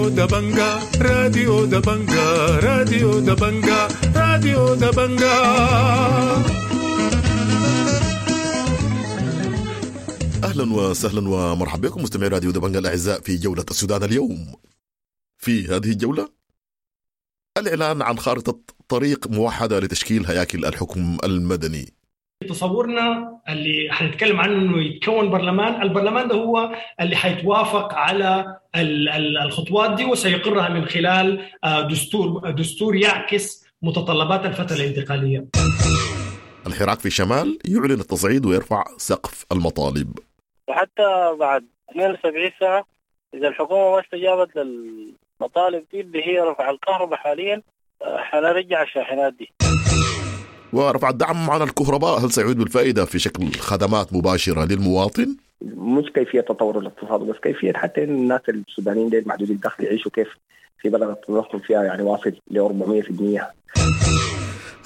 راديو دبنجا، راديو دبنجا، راديو دبنجا، راديو دبنجا. أهلا وسهلا ومرحبا بكم مستمعي راديو دبنجا الأعزاء في جولة السودان اليوم. في هذه الجولة الإعلان عن خارطة طريق موحدة لتشكيل هياكل الحكم المدني. تصورنا اللي حنتكلم عنه انه يتكون برلمان، البرلمان ده هو اللي حيتوافق على الخطوات دي وسيقرها من خلال دستور يعكس متطلبات الفترة الانتقالية. الحراك في الشمال يعلن التصعيد ويرفع سقف المطالب. وحتى بعد 72 ساعة إذا الحكومة ما استجابت للمطالب دي اللي هي رفع الكهرباء حاليا حنرجع الشاحنات دي. ورفع الدعم عن الكهرباء هل سيعود بالفائدة في شكل خدمات مباشرة للمواطن؟ مش كيفية تطور الاقتصاد بس كيفية حتى الناس السودانيين دي المحدودي الدخل يعيشوا كيف في بلد التضخم فيها يعني واصل ل 400%.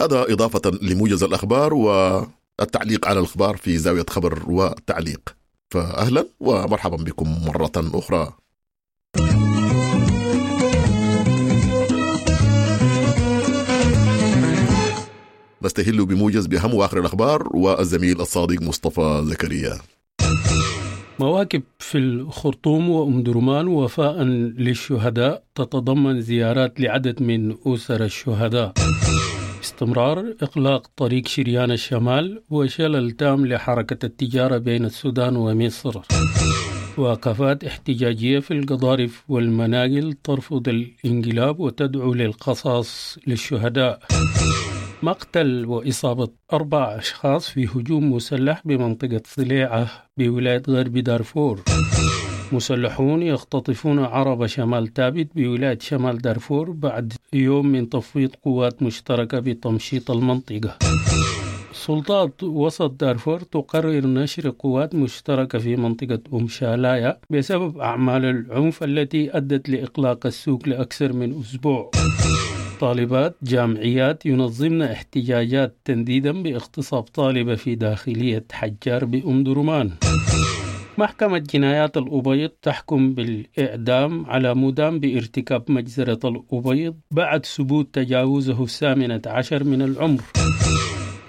هذا إضافة لموجز الأخبار والتعليق على الأخبار في زاوية خبر وتعليق. فأهلا ومرحبا بكم مرة أخرى. نستهل بموجز بأهم وآخر الأخبار والزميل الصادق مصطفى زكريا. مواكب في الخرطوم وأم درمان وفاء للشهداء تتضمن زيارات لعدد من أسر الشهداء. استمرار إغلاق طريق شريان الشمال وشلل تام لحركة التجارة بين السودان ومصر. وقفات احتجاجية في القضارف والمناقل ترفض الانقلاب وتدعو للقصاص للشهداء. مقتل وإصابة 4 أشخاص في هجوم مسلح بمنطقة صليعة بولاية غرب دارفور. مسلحون يختطفون عرب شمال تابت بولاية شمال دارفور بعد يوم من تفويض قوات مشتركة بتمشيط المنطقة. سلطات وسط دارفور تقرر نشر قوات مشتركة في منطقة أم شالايا بسبب أعمال العنف التي أدت لإغلاق السوق لأكثر من أسبوع. طالبات جامعيات ينظمن احتجاجات تنديدا باغتصاب طالبة في داخلية حجار بأم درمان. محكمة جنايات الأبيض تحكم بالإعدام على مدان بارتكاب مجزرة الأبيض بعد ثبوت تجاوزه 18 من العمر.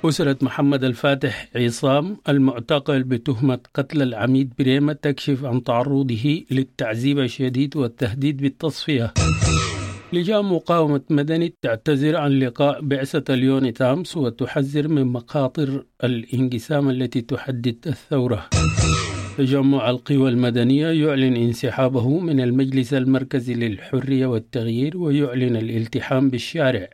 أسرة محمد الفاتح عصام المعتقل بتهمة قتل العميد بريمة تكشف عن تعرضه للتعذيب الشديد والتهديد بالتصفية. لجان مقاومة مدني تعتذر عن لقاء بعثة اليونيتامس وتحذر من مخاطر الانقسام التي تحدد الثورة. تجمع القوى المدنية يعلن انسحابه من المجلس المركزي للحرية والتغيير ويعلن الالتحام بالشارع.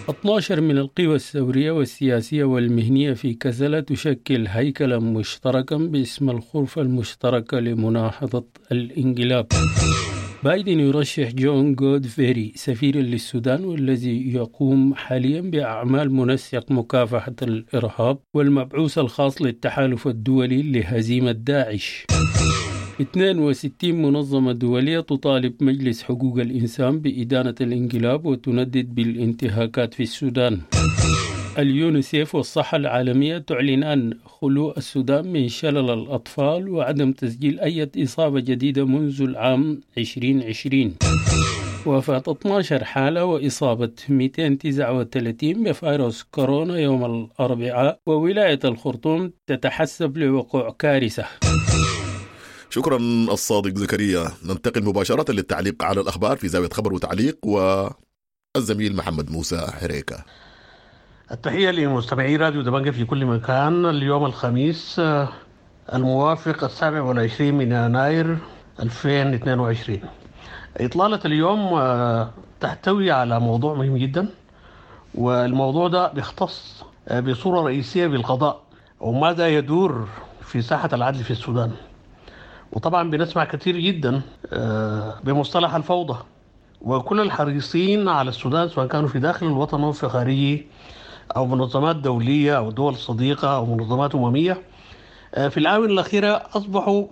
12 من القوى الثورية والسياسية والمهنية في كسلة تشكل هيكلا مشتركا باسم الغرفة المشتركة لمناهضة الانقلاب. بايدن يرشح جون جودفري سفيرا للسودان والذي يقوم حاليا بأعمال منسق مكافحة الإرهاب والمبعوث الخاص للتحالف الدولي لهزيمة داعش. 62 منظمة دولية تطالب مجلس حقوق الإنسان بإدانة الانقلاب وتندد بالانتهاكات في السودان. اليونيسيف والصحة العالمية تعلنان خلو السودان من شلل الأطفال وعدم تسجيل أي إصابة جديدة منذ العام 2020. وفاة 12 حالة وإصابة 239 بفيروس كورونا يوم الأربعاء، وولاية الخرطوم تتحسب لوقوع كارثة. شكرا الصادق زكريا. ننتقل مباشرة للتعليق على الأخبار في زاوية خبر وتعليق والزميل محمد موسى حريكة. التحية لمستمعي راديو دبنجة في كل مكان. اليوم الخميس الموافق 27 من يناير 2022. إطلالة اليوم تحتوي على موضوع مهم جدا، والموضوع ده بيختص بصورة رئيسية بالقضاء وماذا يدور في ساحة العدل في السودان. وطبعا بنسمع كثير جدا بمصطلح الفوضى، وكل الحريصين على السودان سواء كانوا في داخل الوطن أو في خارجه أو منظمات دولية أو دول صديقة أو منظمات أممية في الآونة الأخيرة أصبحوا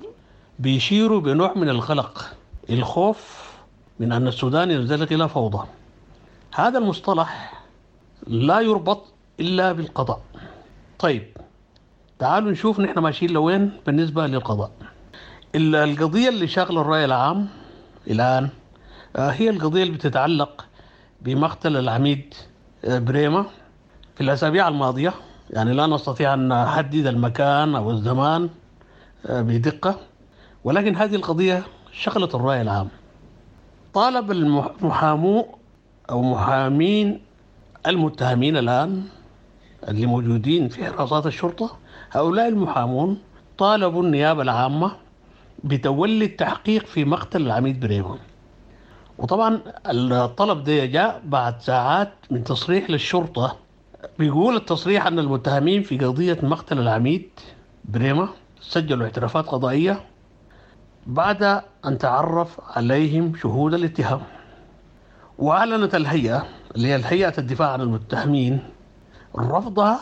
بيشيروا بنوع من القلق، الخوف من أن السودان ينزلق إلى فوضى. هذا المصطلح لا يربط إلا بالقضاء. طيب تعالوا نشوف نحن ماشيين لوين بالنسبة للقضاء. القضية اللي شاغلة الرأي العام الآن هي القضية اللي بتتعلق بمقتل العميد بريمة في الأسابيع الماضية. يعني لا نستطيع أن نحدد المكان أو الزمان بدقة، ولكن هذه القضية شغلت الرأي العام. طالب المحامو أو محامين المتهمين الآن اللي موجودين في حراسات الشرطة، هؤلاء المحامون طالبوا النيابة العامة بتولي التحقيق في مقتل العميد بريمة. وطبعا الطلب ده جاء بعد ساعات من تصريح للشرطة، بيقول التصريح أن المتهمين في قضية مقتل العميد بريمة سجلوا اعترافات قضائية بعد أن تعرف عليهم شهود الاتهام. وأعلنت الهيئة اللي هي الهيئة الدفاع عن المتهمين رفضها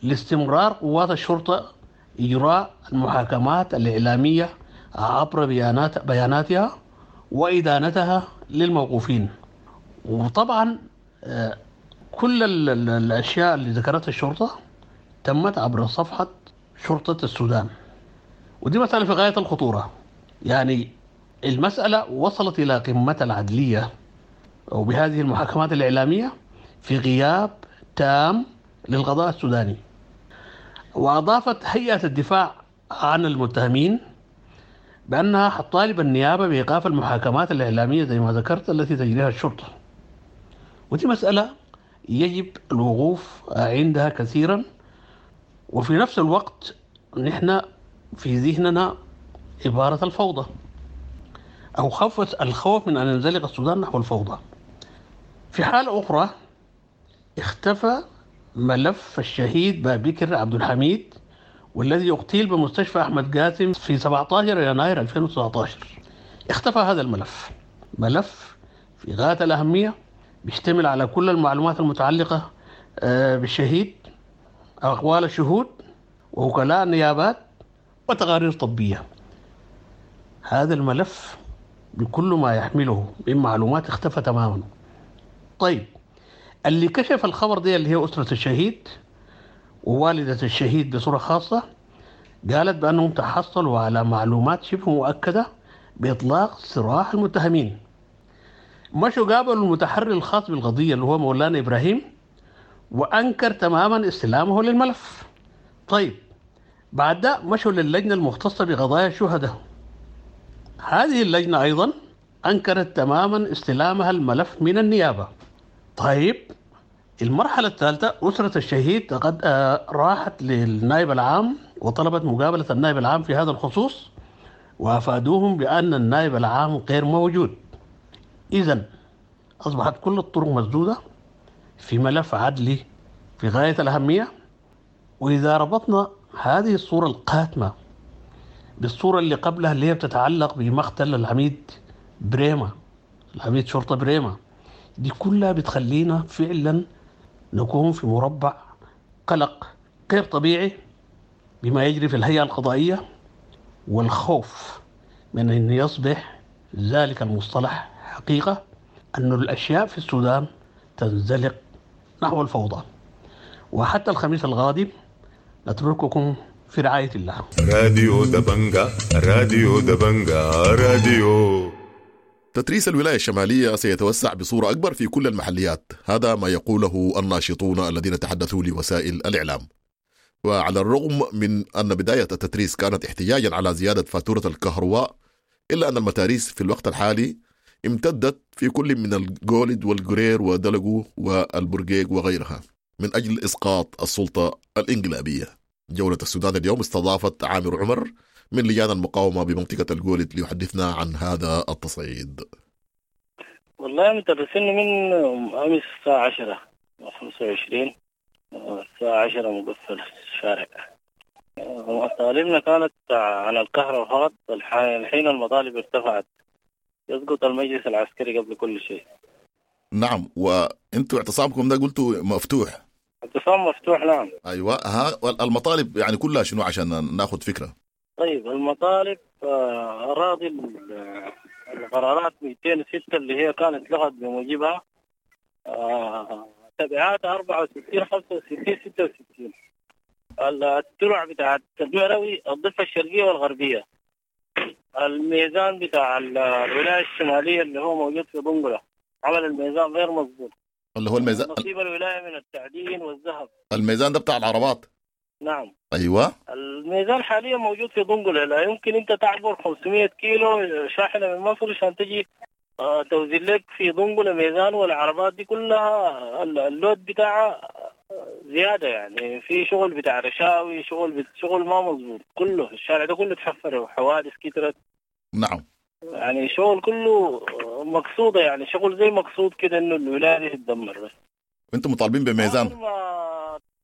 لاستمرار قوات الشرطة إجراء المحاكمات الإعلامية عبر بياناتها وإدانتها للموقوفين. وطبعا كل الأشياء اللي ذكرتها الشرطة تمت عبر صفحة شرطة السودان، ودي مسألة في غاية الخطورة. يعني المسألة وصلت إلى قمة العدلية وبهذه المحاكمات الإعلامية في غياب تام للقضاء السوداني. وأضافت هيئة الدفاع عن المتهمين بأنها حتطالب النيابة بإيقاف المحاكمات الإعلامية زي ما ذكرت التي تجريها الشرطة. ودي مسألة يجب الوقوف عندها كثيرا. وفي نفس الوقت نحن في ذهننا عبارة الفوضى أو الخوف من أن ينزلق السودان نحو الفوضى. في حالة أخرى اختفى ملف الشهيد بابكر عبد الحميد والذي اغتيل بمستشفى أحمد قاسم في 17 يناير 2019. اختفى هذا الملف، ملف في غاية الأهمية، بيشتمل على كل المعلومات المتعلقة بالشهيد، أقوال الشهود ووكلاء النيابات وتقارير طبية. هذا الملف بكل ما يحمله من معلومات اختفى تماما. طيب اللي كشف الخبر دي اللي هي أسرة الشهيد ووالدة الشهيد بصورة خاصة، قالت بأنهم تحصلوا على معلومات شبه مؤكدة بإطلاق سراح المتهمين. مشوا قابلوا المتحري الخاص بالقضية اللي هو مولانا إبراهيم وأنكر تماما استلامه للملف. طيب بعد ده مشوا للجنة المختصة بقضايا الشهداء. هذه اللجنة أيضا أنكرت تماما استلامها الملف من النيابة. طيب المرحلة الثالثة، أسرة الشهيد قد راحت للنائب العام وطلبت مقابلة النائب العام في هذا الخصوص، وأفادوهم بأن النائب العام غير موجود. إذن أصبحت كل الطرق مسدودة في ملف عدلي في غاية الأهمية. وإذا ربطنا هذه الصورة القاتمة بالصورة اللي قبلها اللي هي بتتعلق بمقتل العميد بريمة، العميد شرطة بريمة، دي كلها بتخلينا فعلا نكون في مربع قلق غير طبيعي بما يجري في الهيئة القضائية، والخوف من أن يصبح ذلك المصطلح حقيقة، أن الأشياء في السودان تنزلق نحو الفوضى. وحتى الخميس القادم نترككم في رعاية الله. راديو دبنجا، راديو دبنجا، راديو. تتريس الولاية الشمالية سيتوسع بصورة أكبر في كل المحليات، هذا ما يقوله الناشطون الذين تحدثوا لوسائل الإعلام. وعلى الرغم من أن بداية التتريس كانت احتجاجا على زيادة فاتورة الكهرباء، إلا أن المتاريس في الوقت الحالي امتدت في كل من الجولد والجرير ودلقو والبرقيق وغيرها من أجل إسقاط السلطة الإنقلابية. جولة السودان اليوم استضافت عامر عمر من لجان المقاومة بمنطقة الجولد ليحدثنا عن هذا التصعيد. والله مترسين من أمس الساعة 10:25، الساعة 10 مقفل الشارع. مطالبنا كانت عن الكهرباء فقط. الحين المطالب ارتفعت، يسقط المجلس العسكري قبل كل شيء. نعم، وانتوا اعتصامكم ده قلتوا مفتوح؟ اعتصام مفتوح، نعم. ايوه، ها المطالب يعني كلها شنو عشان ناخذ فكره؟ طيب المطالب اراضي القرارات 206 اللي هي كانت لغت بموجبها تبعات 64 65 66 الترع بتاعت المروي الضفه الشرقيه والغربيه، الميزان بتاع الولاية الشمالية اللي هو موجود في دنقلة، عمل الميزان غير مظبوط، اللي هو الميزان، نصيب الولاية من التعدين والذهب. الميزان ده بتاع العربات. نعم. ايوه، الميزان حاليا موجود في دنقلة، لا يمكن انت تعبر 500 كيلو شاحنة من مصر عشان تجي توزن لك في دنقلة ميزان، والعربات دي كلها ال load بتاعها زيادة، يعني في شغل بتاع رشاوي، شغل ما مظبوط، كله الشارع ده كله تحفر وحوادث كترت. نعم، يعني شغل كله مقصودة، يعني شغل زي مقصود كده انه الولاية دي تتدمر. بس انتم مطالبين بميزان؟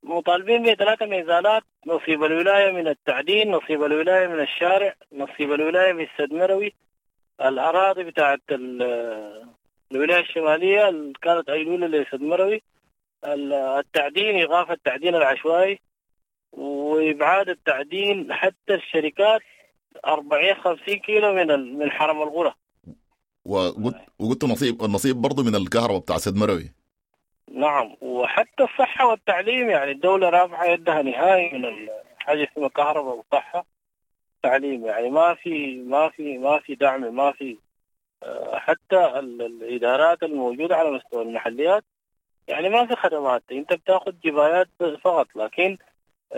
مطالبين ب3 ميزانات، نصيب الولاية من التعدين، نصيب الولاية من الشارع، نصيب الولاية من السد مروي، الأراضي بتاعت الولاية الشمالية اللي كانت أيلولة لسد مروي، التعدين، إيقاف التعدين العشوائي وإبعاد التعدين حتى الشركات 40-50 كيلو من حرم الغرة. وقلت النصيب برضو من الكهرباء بتاع سد مروي. نعم، وحتى الصحة والتعليم، يعني الدولة رافعة يدها نهائي من حاجة اسمها كهرباء وصحة تعليم، يعني ما في ما في ما في دعم، ما في حتى الإدارات الموجودة على مستوى المحليات، يعني ما في خدمات، انت بتاخذ جبايات فقط، لكن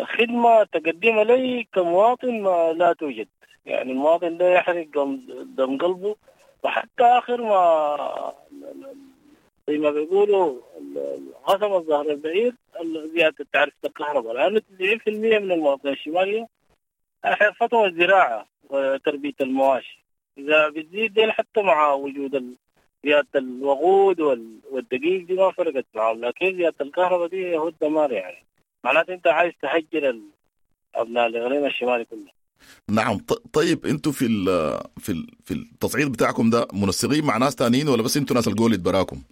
خدمة تقدمها لي كمواطن ما لا توجد. يعني المواطن ده يحرق دم قلبه، وحتى آخر ما زي ما بيقولوا غصب الظهر البعير زيادة تعرفة الكهرباء، لأنه 90% من المواطنين الشمالية حرفتهم الزراعة وتربية المواشي، إذا بتزيد دي حتى مع وجود زيادة الوقود والدقيق دي ما فرقت معهم، لكن زيادة الكهرباء دي هو الدمار، يعني معناته أنت عايز تهجر أبناء الإقليم الشمالي كله. نعم. طيب انتوا في في التصعيد بتاعكم ده منسقين مع ناس تانيين ولا بس انتوا ناس الجولد براكم؟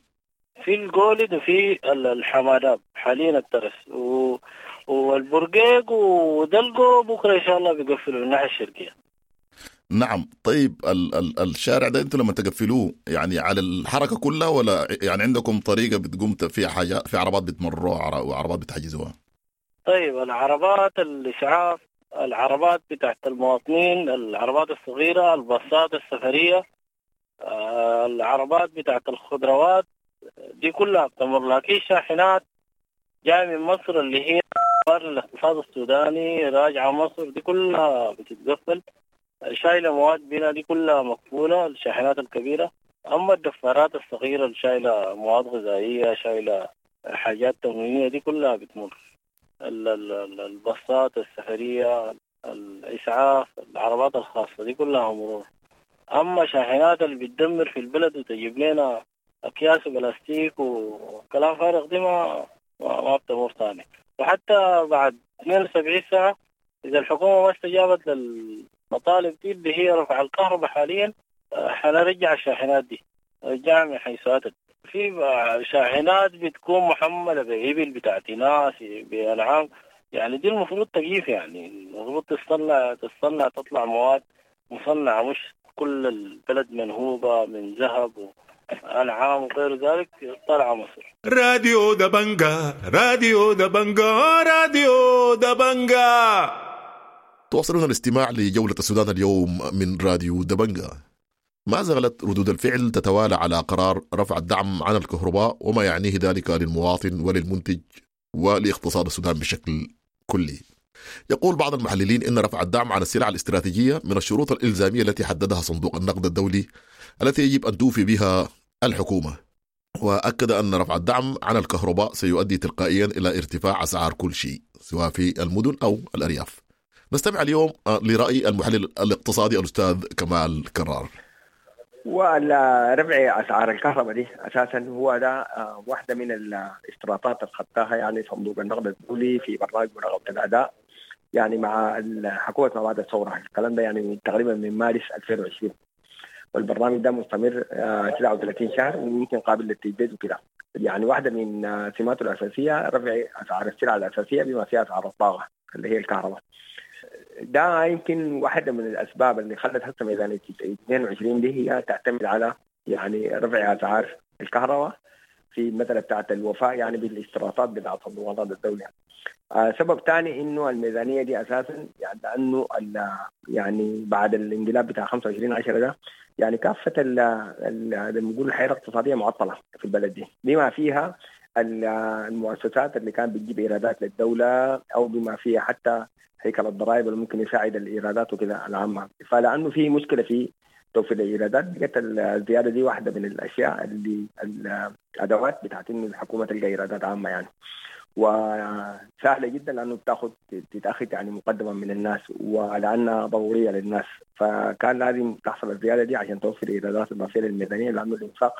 في الجولد وفي الحماداب حاليا الترس والبرقيق ودلقو، بكره ان شاء الله بيقفلوا الناحية الشرقية. نعم. طيب الشارع ده انتوا لما تقفلوه يعني على الحركة كلها، ولا يعني عندكم طريقه بتقوم فيها حاجة، في عربات بتمروها وعربات بتحجزوها؟ طيب العربات الاسعاف، العربات بتاعت المواطنين، العربات الصغيرة، الباصات السفرية، العربات بتاعت الخضروات دي كلها بتمر، لكن شاحنات جاية من مصر اللي هي الاقتصاد السوداني راجعة مصر دي كلها بتتقفل، شايلة مواد بنا دي كلها مقفولة، الشاحنات الكبيرة. أما الدفارات الصغيرة اللي شايلة مواد غذائية، شايلة حاجات تموينية دي كلها بتمر، الباصات السفرية، الإسعاف، العربات الخاصة دي كلها مرور. أما شاحنات اللي بتدمر في البلد وتجيب لنا أكياس وبلاستيك وكلام فارغ دي ما بتمر ثاني. وحتى بعد 72 ساعة إذا الحكومة ما استجابت للمطالب دي اللي هي رفع الكهرباء حاليا، حنرجع الشاحنات دي، رجع من حيث أتت. في شاحنات بتكون محملة بإبل بتاعت ناس بأنعام، يعني دي المفروض تجيف، يعني المفروض تصنع تطلع مواد مصنعة، مش كل البلد منهوبة من ذهب وأنعام وغير ذلك طلع مصر. راديو دبنجا، راديو دبنجا، راديو دبنجا. تواصلون الاستماع لجولة السودان اليوم من راديو دبنجا. ما زالت ردود الفعل تتوالى على قرار رفع الدعم عن الكهرباء وما يعنيه ذلك للمواطن وللمنتج ولاقتصاد السودان بشكل كلي. يقول بعض المحللين إن رفع الدعم عن السلع الاستراتيجية من الشروط الإلزامية التي حددها صندوق النقد الدولي التي يجب أن توفي بها الحكومة. وأكد أن رفع الدعم عن الكهرباء سيؤدي تلقائيا إلى ارتفاع أسعار كل شيء سواء في المدن أو الأرياف. نستمع اليوم لرأي المحلل الاقتصادي الأستاذ كمال كرار. ورفع أسعار الكهرباء دي أساسا هو ده واحدة من الاشتراطات اللي خدتها يعني صندوق النقد الدولي في برنامج مراقبة الأداء يعني مع الحكومة ما بعد الثورة، الكلام ده يعني تقريبا من مارس 2020، والبرنامج ده مستمر 39 شهر وممكن قابل للتجديد وكده. يعني واحدة من سماته الأساسية رفع أسعار السلع الأساسية بما فيها أسعار الطاقة اللي هي الكهرباء. ده يمكن واحدة من الأسباب اللي خلت هسه ميزانية 22 دي هي تعتمد على يعني رفع أسعار الكهرباء، في المسالة بتاعت الوفاء يعني بالاشتراطات بتاعت صندوق النقد الدولي. سبب ثاني انه الميزانية دي اساسا يعني لانه يعني بعد الانقلاب بتاع 25/10 ده يعني كافة زي ما بنقول الحياة الاقتصادية معطلة في البلد دي، بما فيها المؤسسات اللي كانت بتجيب ايرادات للدولة، او بما فيها حتى هيكل الضرائب اللي ممكن يساعد الايرادات وكذا العامة. فلانه في مشكلة في توفير الايرادات، بقت الزيادة دي واحدة من الاشياء اللي الادوات بتاعت انه الحكومة تلقى ايرادات عامة يعني، وسهلة جدا لانه بتاخد تتاخذ يعني مقدما من الناس ولانها ضرورية للناس، فكان لازم تحصل الزيادة دي عشان توفر ايرادات اضافية للميزانيه، لانه الانفاق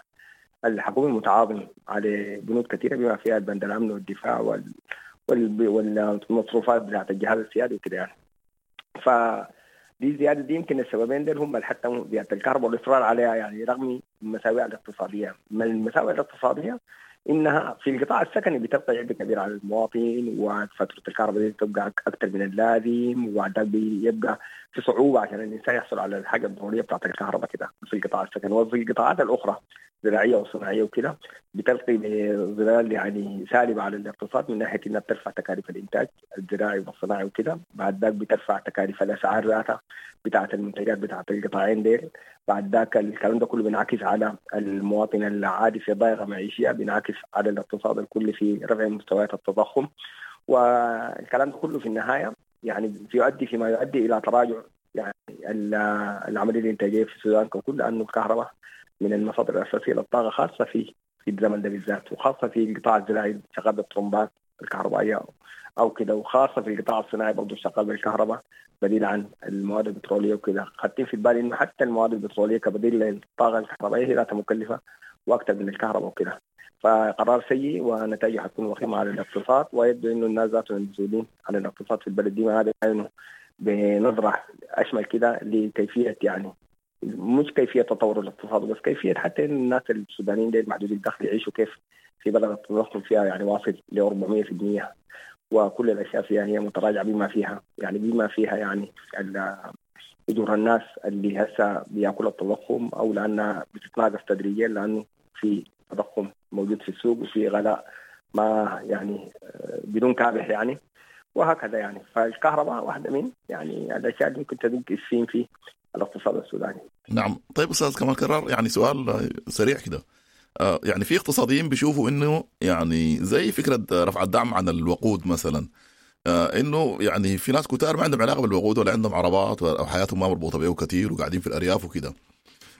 الحكومي متعاظم على بنود كثيرة بما فيها البند الامن والدفاع والمصروفات بتاعت الجهاز السيادي وكده يعني. ف دي الزيادة دي يمكن السببين دول هم حتى زيادة الكهرباء والاصرار عليها يعني رغم المساوئ الاقتصادية. من المساوئ الاقتصادية انها في القطاع السكني بتبقى عبء كبير على المواطن، وفاتوره الكهرباء دي بتبقى اكثر من اللازم، وبعد بيبقى في صعوبة عشان الانسان يحصل على الحاجة الضرورية بتاعت الكهرباء كده في القطاع السكني. وفي القطاعات الاخرى الزراعية والصناعيه وكده بتلقي بظلال يعني سالبه على الاقتصاد من ناحية انها بترفع تكاليف الانتاج الزراعي والصناعي وكده، بعد ذاك بترفع تكاليف الاسعار ذاتها بتاعه المنتجات بتاعه القطاعين ديل، بعد ذاك الكلام ده كله بينعكس على المواطن العادي في ضائقة معيشيه، بينعكس على الاقتصاد الكلي في رفع مستويات التضخم، والكلام ده كله في النهاية يعني يؤدي فيما يؤدي الى تراجع يعني العملية الانتاجية في السودان ككل، لانه الكهرباء من المصادر الاساسية للطاقة خاصة في الزمن ده بالذات، وخاصة في القطاع الزراعي شغال بالطرمبات الكهربائية او كده، وخاصة في القطاع الصناعي برضه شغال بالكهرباء بديل عن المواد البتروليه وكده. خدتين في البال انه حتى المواد البتروليه كبديل للطاقة الكهربائية هي ذاتها مكلفة واكثر من الكهرباء وكده. فقرار سيء ونتائجه حتكون وخيمة على الاقتصاد، ويبدو انه الناس ذاتهم المسؤولين عن الاقتصاد في البلد دي ما هذا بنظره اشمل كده لكيفية يعني مش كيفية تطور الاقتصاد بس كيفية حتى الناس السودانيين دي محدودي الدخل يعيشوا كيف في بلد التضخم فيها يعني واصل ل 400%، وكل الاشياء فيها هي متراجعه بما فيها يعني بما فيها يعني اجور الناس اللي هسه بياكل التضخم، او لانها بتتناقص تدريجيا لانه في تضخم موجود في السوق وفي غلاء ما يعني بدون كابح يعني وهكذا يعني. فالكهرباء واحدة من يعني الاشياء اللي ممكن تدق السين في الاقتصاد السوداني. نعم. طيب استاذ كمال كرار، يعني سؤال سريع كده، يعني في اقتصاديين بيشوفوا انه يعني زي فكرة رفع الدعم عن الوقود مثلا، انه يعني في ناس كتار ما عندهم علاقة بالوقود ولا عندهم عربات او حياتهم ما مربوطة به كثير وقاعدين في الارياف وكده.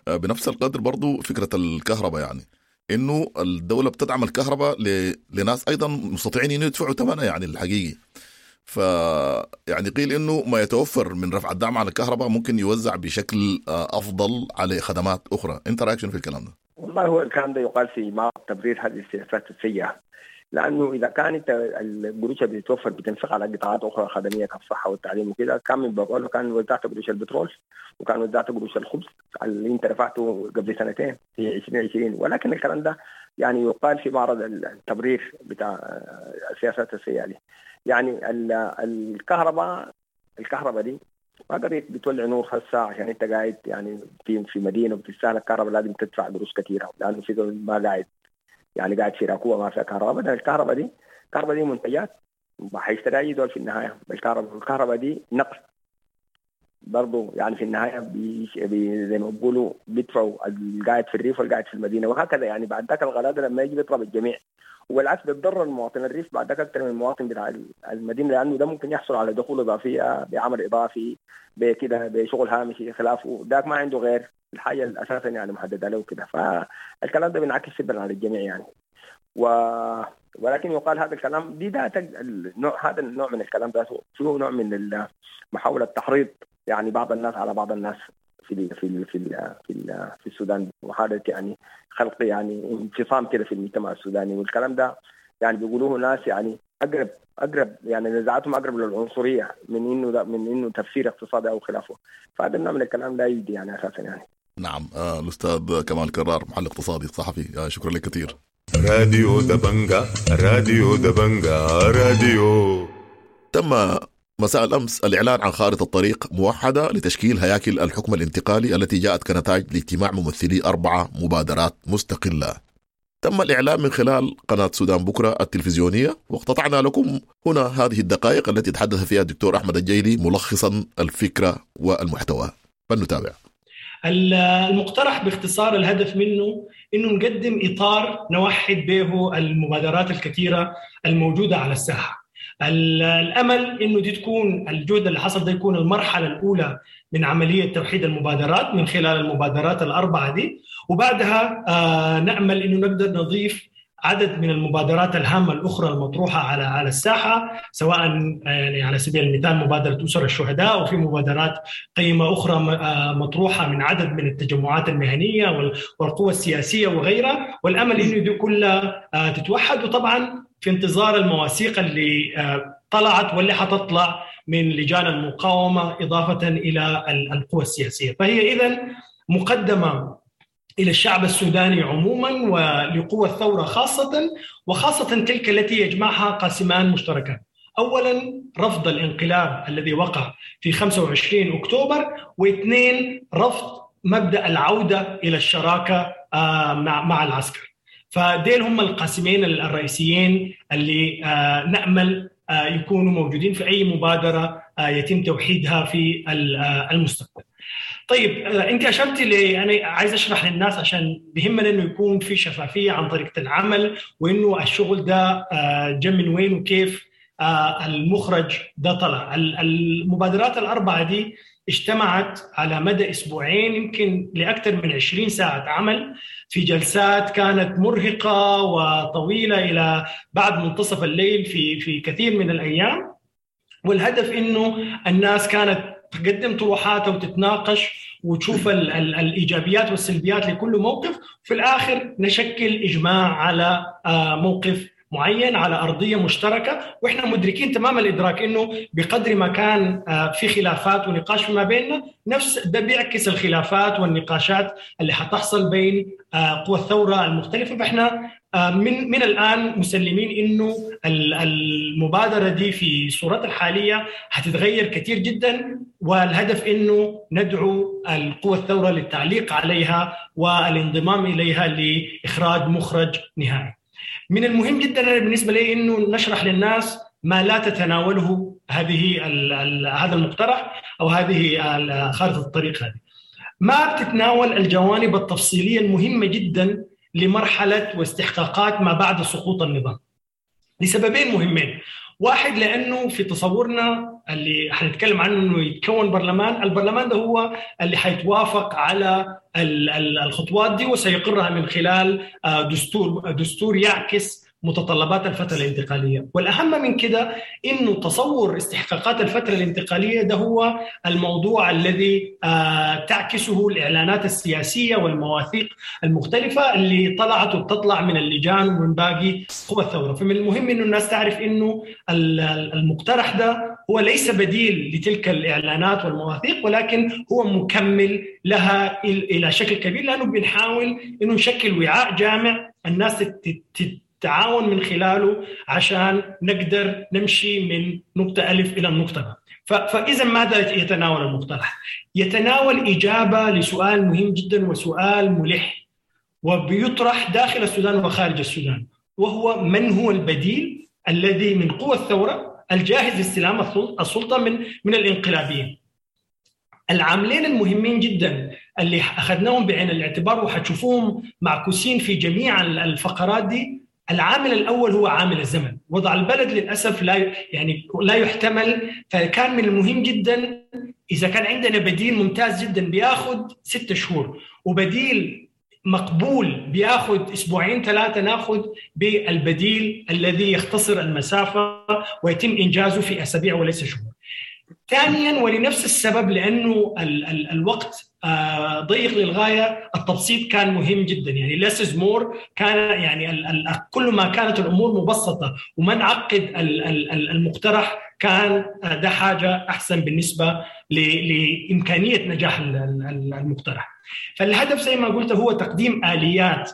بنفس القدر برضو فكرة الكهرباء، يعني انه الدولة بتدعم الكهرباء لناس ايضا مستطيعين انه يدفعوا ثمنها يعني الحقيقي. ف يعني قيل انه ما يتوفر من رفع الدعم على الكهرباء ممكن يوزع بشكل افضل على خدمات اخرى، انت رايك شنو في الكلام ده؟ والله هو الكلام ده يقال في معرض تبرير هذه السياسات السيئة، لانه اذا كانت القروش اللي بتتوفر بتنفق على قطاعات اخرى خدميه كالصحه والتعليم وكذا، كان من بقول كان وزعت قروش البترول وكان وزعت قروش الخبز اللي انت رفعته قبل سنتين في 2020. ولكن الكلام ده يعني يقال في معرض التبرير بتاع السياسات السيئة دي. يعني الكهرباء دي ما قريت بتولع نور هسه عشان انت قاعد يعني في مدينة وبتستهلك كهرباء لازم تدفع قروش كثيرة، لانه في ما قاعد يعني قاعد في راكوبه ما فيها كهرباء. بدل الكهرباء دي منتجات حيشتريها اي دول في النهاية. الكهرباء دي نقص برضه يعني في النهاية زي ما بيقولوا بيدفعوا القاعد في الريف والقاعد في المدينة وهكذا يعني. بعد ذاك الغلاء ده لما يجي بيضرب الجميع، والعكس بيتضرر المواطن الريف بعد ذاك اكثر من المواطن بتاع المدينة، لانه ده ممكن يحصل على دخول اضافية بعمل اضافي بكده بشغل هامشي خلافه، ذاك ما عنده غير الحاجة الاساسا يعني محددة له كده. فالكلام ده بينعكس سلبا على الجميع يعني. ولكن يقال هذا الكلام دي ذات النوع، هذا النوع من الكلام ده فيه نوع من محاولة تحريض يعني بعض الناس على بعض الناس في ال في ال في ال في, ال في السودان، وحاله يعني خلق يعني انفصام كده في المجتمع السوداني. والكلام ده يعني بيقولوه ناس يعني اقرب يعني نزاعاتهم اقرب للعنصرية من انه تفسير اقتصادي او خلافه. فهذا النوع من الكلام لا يجدي يعني اساسا يعني. نعم. الاستاذ كمال كرار، محلل اقتصادي صحفي، شكرا لك كثير. راديو دبنجا، راديو دبنجا، راديو. تم مساء الأمس الإعلان عن خارطة طريق موحدة لتشكيل هياكل الحكم الانتقالي التي جاءت كنتائج لاجتماع ممثلي 4 مبادرات مستقلة. تم الإعلان من خلال قناة سودان بكرة التلفزيونية، واقتطعنا لكم هنا هذه الدقائق التي تحدث فيها الدكتور أحمد الجيلي ملخصا الفكرة والمحتوى. فلنتابع. المقترح باختصار الهدف منه انه نقدم اطار نوحد به المبادرات الكثيرة الموجودة على الساحة. الامل انه دي تكون الجهد اللي حصل ده يكون المرحلة الاولى من عملية توحيد المبادرات من خلال المبادرات الاربعة دي، وبعدها نامل انه نقدر نضيف عدد من المبادرات الهامة الاخرى المطروحة على الساحة، سواء يعني على سبيل المثال مبادرة اسر الشهداء، وفي مبادرات قيمة اخرى مطروحة من عدد من التجمعات المهنية والقوى السياسية وغيرها، والامل انه دي كلها تتوحد، وطبعا في انتظار المواثيق اللي طلعت واللي حتطلع من لجان المقاومة اضافه الى القوى السياسية. فهي اذا مقدمه إلى الشعب السوداني عموما ولقوى الثورة خاصة، وخاصة تلك التي يجمعها قاسمان مشتركان. أولا رفض الانقلاب الذي وقع في 25 أكتوبر، واثنين رفض مبدأ العودة إلى الشراكة مع العسكر. فديل هم القاسمين الرئيسيين اللي نأمل يكونوا موجودين في أي مبادرة يتم توحيدها في المستقبل. طيب انت اشرتي لي، انا عايز اشرح للناس عشان بيهمنا انه يكون في شفافية عن طريقه العمل، وانه الشغل ده جا من وين وكيف المخرج ده طلع. المبادرات الاربعة دي اجتمعت على مدى اسبوعين، يمكن لاكثر من 20 ساعة عمل في جلسات كانت مرهقة وطويلة الى بعد منتصف الليل في كثير من الايام. والهدف انه الناس كانت تقدم طروحاتها وتتناقش وتشوف الايجابيات والسلبيات لكل موقف، وفي الاخر نشكل اجماع على موقف معين على ارضية مشتركة. واحنا مدركين تمام الادراك انه بقدر ما كان في خلافات ونقاش فيما بيننا، نفس ده بيعكس الخلافات والنقاشات اللي حتحصل بين قوى الثورة المختلفة. فاحنا من الان مسلمين انه المبادرة دي في صورتها الحالية حتتغير كثير جدا، والهدف انه ندعو القوى الثورة للتعليق عليها والانضمام اليها لاخراج مخرج نهائي. من المهم جدا بالنسبة لي انه نشرح للناس ما لا تتناوله هذه هذا المقترح او هذه خارطة الطريق هذه. ما بتتناول الجوانب التفصيلية المهمة جدا لمرحلة واستحقاقات ما بعد سقوط النظام، لسببين مهمين. واحد، لانه في تصورنا اللي حنتكلم عنه انه يتكون برلمان، البرلمان ده هو اللي حيتوافق على الخطوات دي وسيقرها من خلال دستور يعكس متطلبات الفترة الانتقالية. والأهم من كده إنه تصور استحقاقات الفترة الانتقالية ده هو الموضوع الذي تعكسه الإعلانات السياسية والمواثيق المختلفة اللي طلعت وبتطلع من اللجان ومن باقي قوى الثورة. فمن المهم إنه الناس تعرف إنه المقترح ده هو ليس بديل لتلك الإعلانات والمواثيق، ولكن هو مكمل لها إلى شكل كبير، لأنه بنحاول إنه نشكل وعاء جامع الناس تعاون من خلاله عشان نقدر نمشي من نقطة ألف إلى النقطة ب. فإذا ماذا يتناول المقترح؟ يتناول إجابة لسؤال مهم جدا وسؤال ملح وبيطرح داخل السودان وخارج السودان، وهو من هو البديل الذي من قوى الثورة الجاهز لاستلام السلطة من الانقلابيين. العاملين المهمين جدا اللي أخذناهم بعين الاعتبار وحتشوفوهم معكوسين في جميع الفقرات دي، العامل الأول هو عامل الزمن. وضع البلد للأسف لا يحتمل، فكان من المهم جدا إذا كان عندنا بديل ممتاز جدا بياخد 6 شهور وبديل مقبول بياخد 2-3 أسابيع، ناخد بالبديل الذي يختصر المسافة ويتم إنجازه في أسابيع وليس شهور. ثانيا، ولنفس السبب لأنه الوقت ضيق للغاية، التبسيط كان مهم جدا. يعني less is more، كان يعني كل ما كانت الأمور مبسطة وما نعقد المقترح كان ده حاجة أحسن بالنسبة لإمكانية نجاح المقترح. فالهدف زي ما قلت هو تقديم آليات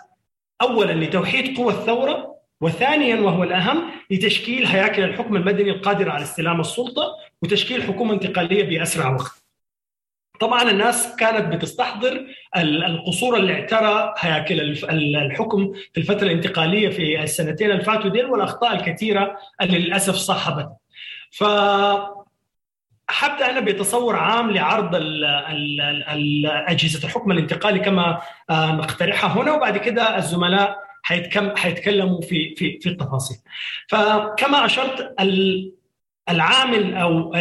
أولا لتوحيد قوى الثورة، وثانيا وهو الأهم لتشكيل هياكل الحكم المدني القادرة على استلام السلطة وتشكيل حكومة انتقالية بأسرع وقت. طبعا الناس كانت بتستحضر القصور اللي اعترى هياكل الحكم في الفترة الانتقالية في السنتين اللي فاتوا ديل، والاخطاء الكثيرة اللي للاسف صاحبت. ف حبدا انا بتصور عام لعرض اجهزة الحكم الانتقالي كما نقترحها هنا، وبعد كده الزملاء حيتكلموا في في في التفاصيل. فكما اشرت، العامل او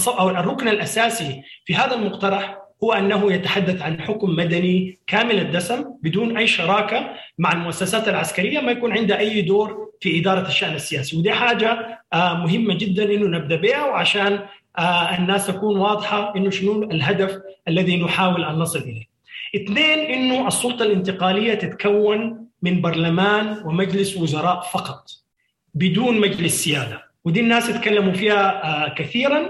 او الركن الاساسي في هذا المقترح هو انه يتحدث عن حكم مدني كامل الدسم بدون اي شراكة مع المؤسسات العسكرية، ما يكون عندها اي دور في ادارة الشان السياسي، ودي حاجة مهمة جدا انه نبدا بها، وعشان الناس تكون واضحة انه شنو الهدف الذي نحاول ان نصل اليه. اثنين، انه السلطة الانتقالية تتكون من برلمان ومجلس وزراء فقط بدون مجلس سيادة، ودي الناس يتكلموا فيها كثيرا،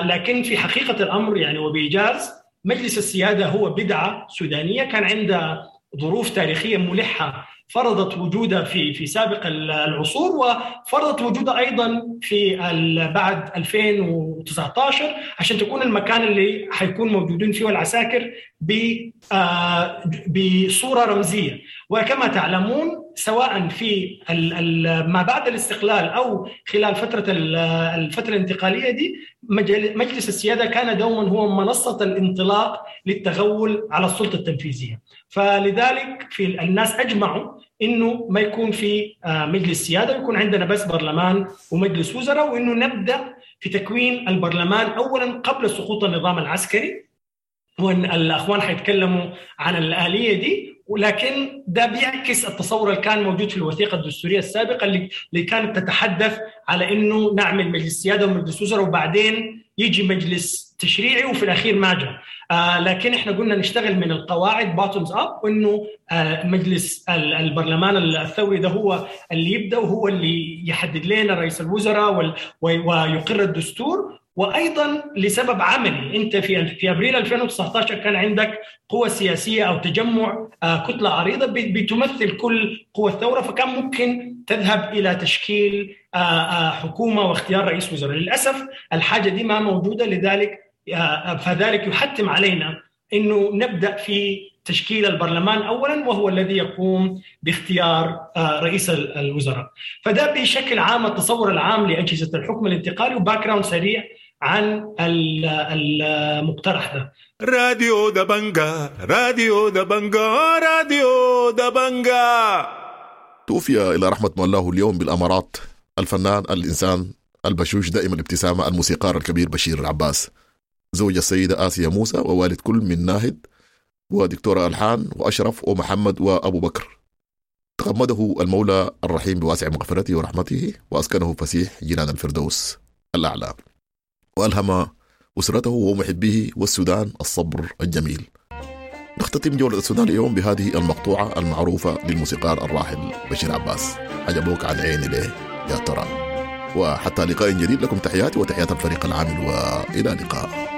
لكن في حقيقة الامر يعني وبايجاز، مجلس السيادة هو بدعة سودانيه كان عندها ظروف تاريخية ملحة فرضت وجودها في سابق العصور، وفرضت وجودها ايضا في بعد 2019 عشان تكون المكان اللي حيكون موجودين فيه العساكر بصورة رمزية. وكما تعلمون سواء في ما بعد الاستقلال او خلال فترة الفترة الانتقالية دي، مجلس السيادة كان دوما هو منصة الانطلاق للتغول على السلطة التنفيذية. فلذلك في الناس اجمعوا انه ما يكون في مجلس سيادة، يكون عندنا بس برلمان ومجلس وزراء، وانه نبدا في تكوين البرلمان اولا قبل سقوط النظام العسكري، وان الاخوان حيتكلموا عن الالية دي. ولكن ده بيعكس التصور اللي كان موجود في الوثيقة الدستورية السابقة اللي كانت تتحدث على انه نعمل مجلس سيادة ومجلس وزراء وبعدين يجي مجلس تشريعي، وفي الاخير ما جاء. لكن احنا قلنا نشتغل من القواعد bottoms up، وانه مجلس البرلمان الثوري ده هو اللي يبدا، وهو اللي يحدد لنا رئيس الوزراء ويقر الدستور. وايضا لسبب عملي، انت في ابريل 2019 كان عندك قوى سياسية او تجمع كتلة عريضة بتمثل كل قوى الثورة، فكان ممكن تذهب الى تشكيل حكومة واختيار رئيس وزراء. للاسف الحاجة دي ما موجودة، لذلك فذلك يحتم علينا انه نبدا في تشكيل البرلمان اولا، وهو الذي يقوم باختيار رئيس الوزراء. فده بشكل عام التصور العام لاجهزة الحكم الانتقالي، و background سريع عن المقترح ده. راديو دبنجا، راديو دبنجا، راديو دبنجا. توفي إلى رحمة مولاه اليوم بالأمارات الفنان الإنسان البشوش دائم الابتسامة الموسيقار الكبير بشير العباس، زوج السيدة آسيا موسى، ووالد كل من ناهد ودكتورة ألحان وأشرف ومحمد وأبو بكر. تغمده المولى الرحيم بواسع مغفرته ورحمته، وأسكنه فسيح جنان الفردوس الأعلى، وألهم أسرته ومحبيه والسودان الصبر الجميل. نختتم جولة السودان اليوم بهذه المقطوعة المعروفة للموسيقار الراحل بشير عباس، عجبوك عن عيني ليه يا ترى. وحتى لقاء جديد، لكم تحياتي وتحيات الفريق العامل، وإلى اللقاء.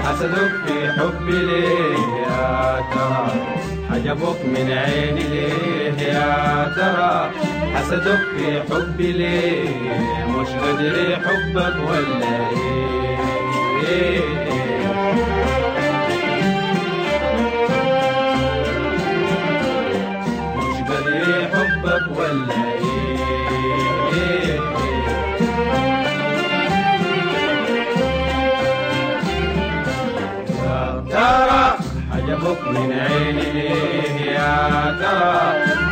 حسدك في حبي ليه يا ترى، حجبك من عيني ليه يا ترى، حسدك في حبي ليه، مش قدري حبك ولا ايه، مش قدري حبك ولا ايه. ترى حجبك من عيني ليه يا ترى،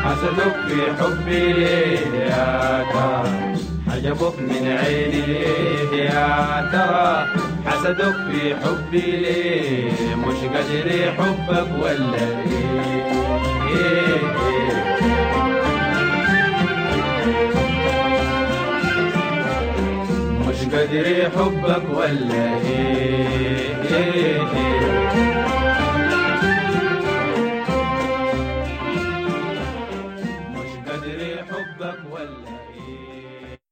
حسدك في حبي ليه يا ترى، حجبك من عيني ليه يا ترى، حسدك في حبي ليه، مش قدري حبك ولا ايه، مش قدر حبك ولا ايه, إيه, إيه.